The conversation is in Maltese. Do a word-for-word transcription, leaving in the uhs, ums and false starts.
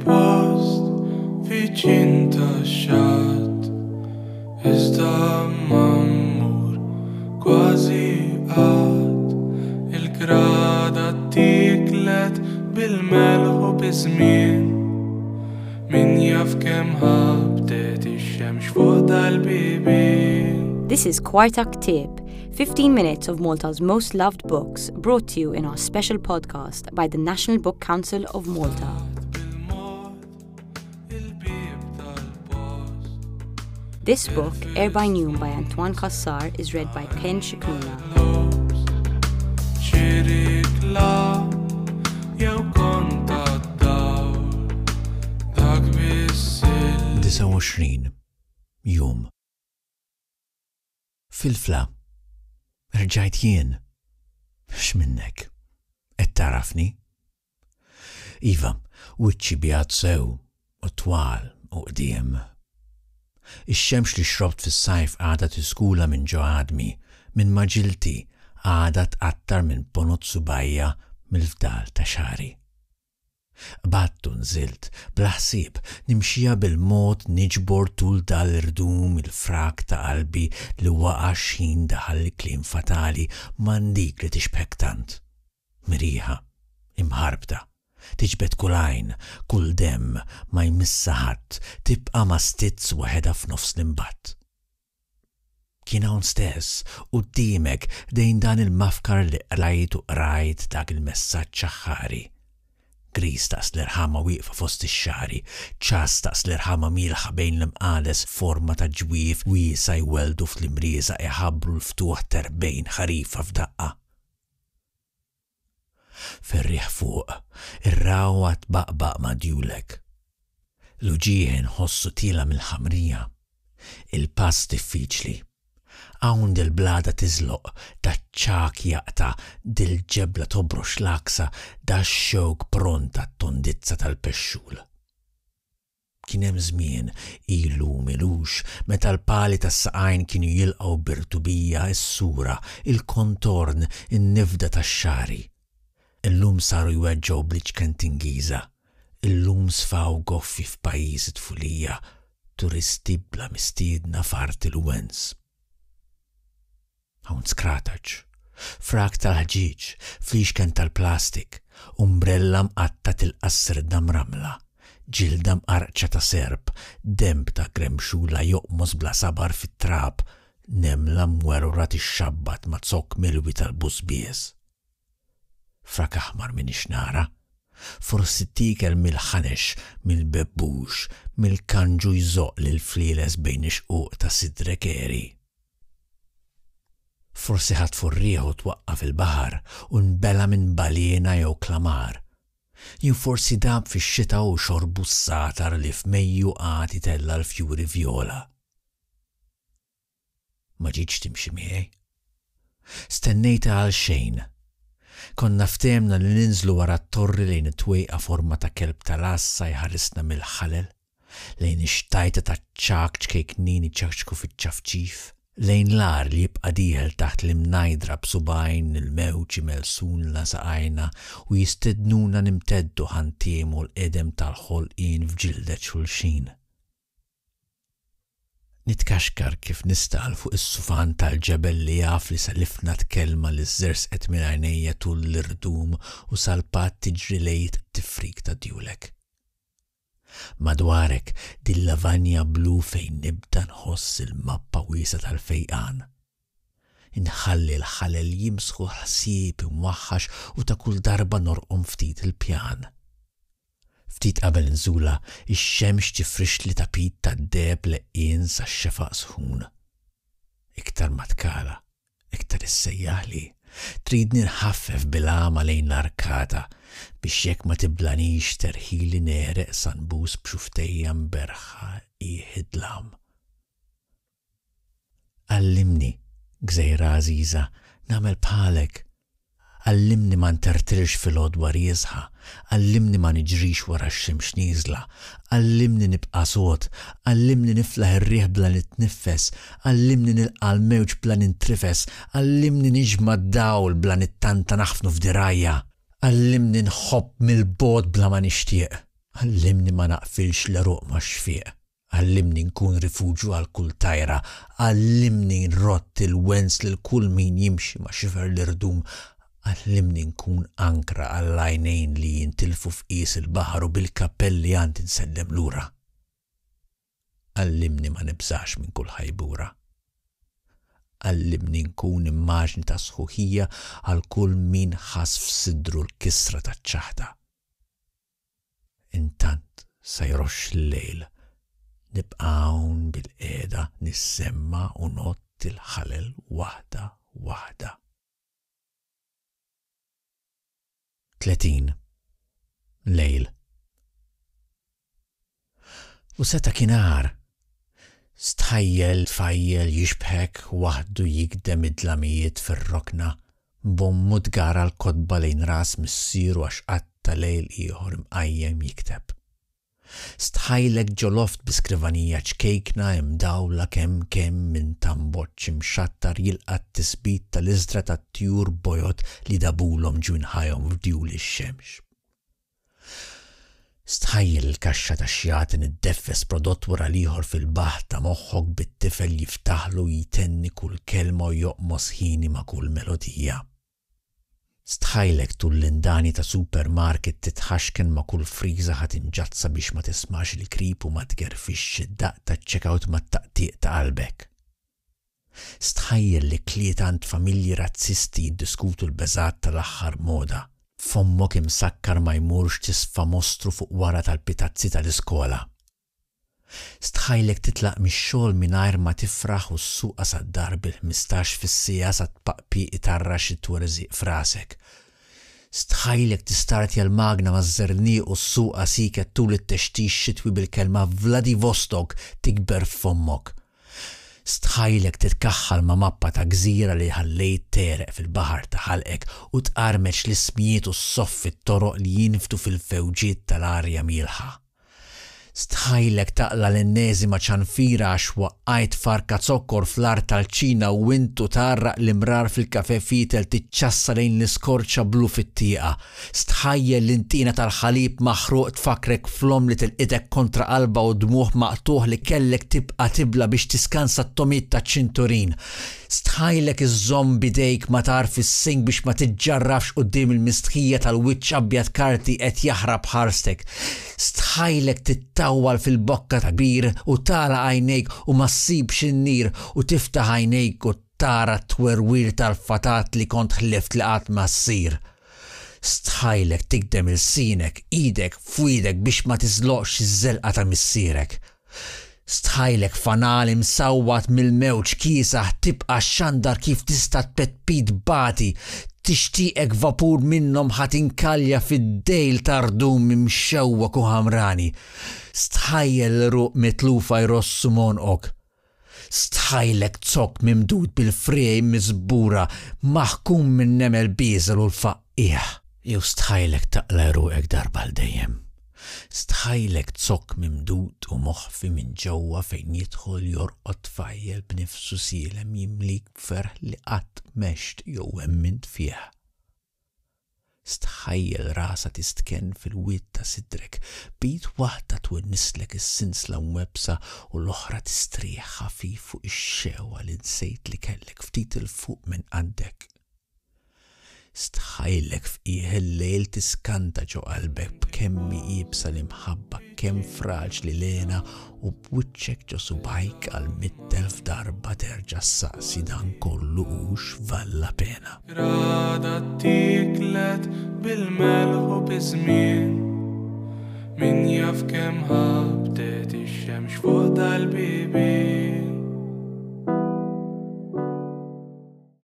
Il-post viċin tax-xatt, iżda ma mmur kważi qatt. Il-grada ttiklet bil-melħ u biż-żmien. Min jaf kemm ħabtet ix-xemx fuq dal-bibien. This is Kwarta Ktieb, fifteen minutes of Malta's most loved books, brought to you in our special podcast by the National Book Council of Malta. Bil-mod il-bieb tal-post. This book, Erbgħin Jum by Antoine Cassar, is read by Ken Scicluna. Xi riklam jew kont tad-dawl dak biss il disgħa u għoxrin jum. Filfla, rġajt jien. X'minnek? Qed tarafni? Iva, wiċċi bjad sew u twal u qdiem. Ix-xemx li xrobt fis-sajf għadha tiskula minn ġo għadmi, minn ma' ġilti għadha tqattar minn ponot subgħajja mill-fdal ta' xagħri. Qbadt u nżilt, bla ħsieb, nimxija bil-mod niġbor tul dal-irdum il-frak ta' qalbi li waqa' x'ħin daħal il-kliem fatali m'għandik li tixbħek tant. Mirieħa, imħarbta, tiġbed kull għajn, kull demm, ma jmissa ħadd, tibqa' ma stizz waħedha f'nofs l-imbatt. Kien hawn stess, quddiemek, dejn dan il-mafkar li qrajt u qrajt dak il-messaġġ aħħari. Gris daqs l-irħama wieqfa fost ix-xagħri, ċass daqs l-irħama mielħa bejn l-imqades forma ta' ġwief wiesa' jwelldu fl-imrieza iħabbru l-ftuħ t'erbgħin ħarifa f'daqqa. Ferriħ fuq, ir-rawha tbaqbaq ma' djulek. L-uġigħ inħossu tiela' mill-ħamrija. Il-pass diffiċli. Hawn dil-blada tiżloq, daċ-ċagħak jaqta', dil-ġebla tobrox l-għaksa, dax-xewk pront għat-tondizza tal-pexxul. Kien hemm żmien ilu m'ilux meta l-pali tas-saqajn kienu jilqgħu b'irtubija s-sura, il-kontorn, in-nifda tax-xagħri. Illum saru jweġġgħu bl-iċken tingiża. Illum sfaw goffi f'pajjiż it-tfulija, turisti bla mistiedna f'art il-wens. Hawn skrataċ, frak tal-ħġieġ, flixken tal-plastik, umbrella mqatta' tilqa' sirda mramla, ġilda mqarċa ta' serp, demb ta' gremxula joqmos bla sabar fit-trab, nemla mwerwra tixxabbat ma' zokk milwi tal-busbies. Frak aħmar m'iniex nara, forsi ttiekel mill-ħanex, mill-bebbux, mill-kanġu jżoqq lill-flieles bejn ix-xquq ta' sidrek għeri. Forsi ħatfu r-riħ u twaqqa' fil-baħar u nbela' minn baliena jew klamar. Jew forsi dab fix-xita u xorbu s-satar li f'Mejju għad itella' l-fjuri vjola. Ma ġietx timxi miegħi. Stennejtha għal xejn. Konna ftehemna li ninżlu wara t-torri lejn it-twejqa forma ta' kelb tal-għassa jħarisna mill-ħalel, lejn ix-xtajta ta' ċagħak ċkejknin iċakċku fiċ-ċafċif, lejn l-għar li jibqa' dieħel taħt l-imnajdra b'subgħajn il-mewġ imellsulna saqajna u jistednuna nimteddu ħa ntiegħmu l-qedem tal-ħolqien f'ġildet xulxin. Nitkaxkar kif nista' 'l fuq is-sufan tal-ġebel li jaf li selifna t-kelma li żżerżqet minn għajnejja tul l-irdum u salpat tiġri lejn tifrik ta' djulek. Madwarek dil-lavanja blu fejn nibda nħoss il-mappa wiesgħa tal-fejqan. Inħalli l-ħalel jimsħu ħsieb imwaħħax u ta' kull darba norqom ftit il-pjan. Ftit qabel nżula, ix-xemx tifrixli tapit tad-deheb leqqien sax-xefaq sħun. Iktar ma tkala, iktar issejjaħli. Tridni nħaffef bil-għama lejn l-arkata biex jekk ma tiblanix terħili negħreq sa nbus b'xufftejja mberrħa qiegħ id-dlam. Għallimni, gżejra għażiża, nagħmel bħalek. Għallimni ma ntertirx fil-għodwa rieżħa, għallimni ma niġrix wara x-xemx nieżla, għallimni nibqa' sod, għallimni niflaħ ir-riħ bla nitniffes, għallimni nilqa' l-mewġ bla nintrifes, għallimni niġma' d-dawl bla nittanta naħfnu f'dirgħajja, għallimni nħobb mill-bogħod bla ma nixtieq, Għallimni ma naqfilx l-għeruq max-xfieq. Għallimni nkun rifuġju għal kull tajra. Għallimni nrodd il-wens lil kull min jimxi ma' xifer l-irdum. Għallimni nkun ankra għall-għajnejn li jintilfu f'qies il-baħar u bil-kappell li għandi nsellem lura. Għallimni ma nibżax minn kull ħajbura. Għallimni nkun immaġni ta' sħuħija għal kull min ħass f'sidru l-kisra taċ-ċaħda. Intant sa jroxx il-lejl, nibqa' hawn bilqiegħda nissemma' u ngħodd il-ħalel waħda waħda. Tletin. Lejl. U seta' kien agħar. Stħajjel tfajjel jixbħek waħdu jigdem id-dlamijiet fir-rokna, b'ommu tgara l-kotba lejn ras missieru għax qatta' lejl ieħor imqajjem jikteb. Stħajlek ġo loft bi skrivanija ċkejkna imdawla kemm kemm minn tamboċċ imxattar jilqa' t-tisbit tal-iżdra tat-tjur bojod li dabulhom ġwinħajhom f'djul ix-xemx. Stħajjel il-kaxxa tax-xjaten iddeffes prodott wara l-ieħor fil-baħħ ta' moħħok bit-tifel jiftaħlu u jtenni kull kelma u joqmos ħini ma' kull melodija. Stħajlek tul l-indani ta' supermarket titħaxken ma' kull friża ħa tinġazza biex ma tismax il-krip u ma tgerfixx id-daqq taċ-checkout mat-taqtiq ta' qalbek. Stħajjel l-ikliet għand familji razzisti jiddiskutu l-beżgħat tal-aħħar moda. Fommok imsakkar ma jmurx tisfa mostru fuq wara tal-pitazzi tal-iskola. Stħajlek titlaq mix-xogħol mingħajr ma tifraħ u ssuqha sad-dar bil-ħmistax fis-siegħa sa tpaqpiq itarrax it-twerżiq f'rasek. Stħajlek tistartja l-magna maż-żerniq u ssuqha sieket tul it-textix xitwi bil-kelma Vladivostok tikber f'fommok. Stħajlek titkaħħal ma' mappa ta' gżira li ħallejt tegħreq fil-baħar ta' ħalqek u tqarmeċ l-ismijiet u ssoffi t-toroq li jinfdu fil-fewġiet tal-arja mielħa. Stħajlek taqla' l-enneżima ċanfira għax waqqajt farka zokkor fl-art tal-Ċina u int u tgħarraq l-imrar fil-kafè fietel tiċċassa lejn l-iskorċa blu fit-tieqa. Stħajjel l-intiena tal-ħalib maħruq tfakkrek fl-omm li tilqitek kontra qalbha u dmugħ maqtugħ li kellek tibqa' tibla' biex tiskansa t-togħmiet taċ-ċinturin. Stħajlek iżżomm b'idejk ma tarf is-sink biex ma tiġġarrafx quddiem il-mistħija tal-wiċċ abjad karti qed jaħrab ħarstek. Stħajlek tittawwal fil-bokka ta' bir u tagħlaq għajnejk u ma ssibx in-nir u tiftaħ għajnejk u tara t-twerwir tal-fatat li kont ħlift li qatt ma ssir. Stħajlek tigdem ilsienek, idek f'wiedek biex ma tiżloqx iż-żelqa ta' missierek. Stħajlek fanal imsawwat mill-mewġ kiesaħ tibqa' xxandar kif tista' tpetpit bati, tixtieqek vapur minnhom ħa tinkalja fid-dejl ta' rdum imxewwek u ħamrani. Stħajjel l-għeruq mitlufa jrossu m'għonqok. Stħajlek zokk mimdud bil-friegħi miżbura maħkum min-nemel bieżel u l-faqqiegħ. Jew stħajlek taqla' għeruqek darba għal dejjem. Stħajlek zokk mimdud u moħfi minn ġewwa fejn jidħol jorqod tfajjel b'nifsu sielem jimlik b'ferħ li qatt m'għext jew emmint fih. Stħajjel rasha tistkenn fil-wied ta' sidrek, b'id waħda twennislek is-sinsla mwebbsa u l-oħra tistrieħ ħafif fuq ix-xewqa li nsejt li kellek ftit 'il fuq minn qaddek. Stħajlek f'qiegħ il-lejl tiskanta ġo qalbek b'kemm hi iebsa l-imħabba, kemm fraġli l-hena u b'wiċċek ġo subgħajk għal mitt elf darba terġa' ssaqsi dan kollu hux valla pena. Rada ttiklet bil-melħ u biż-żmien. Min jaf kemm ħabtet ix-xemx fuq dal-bibien.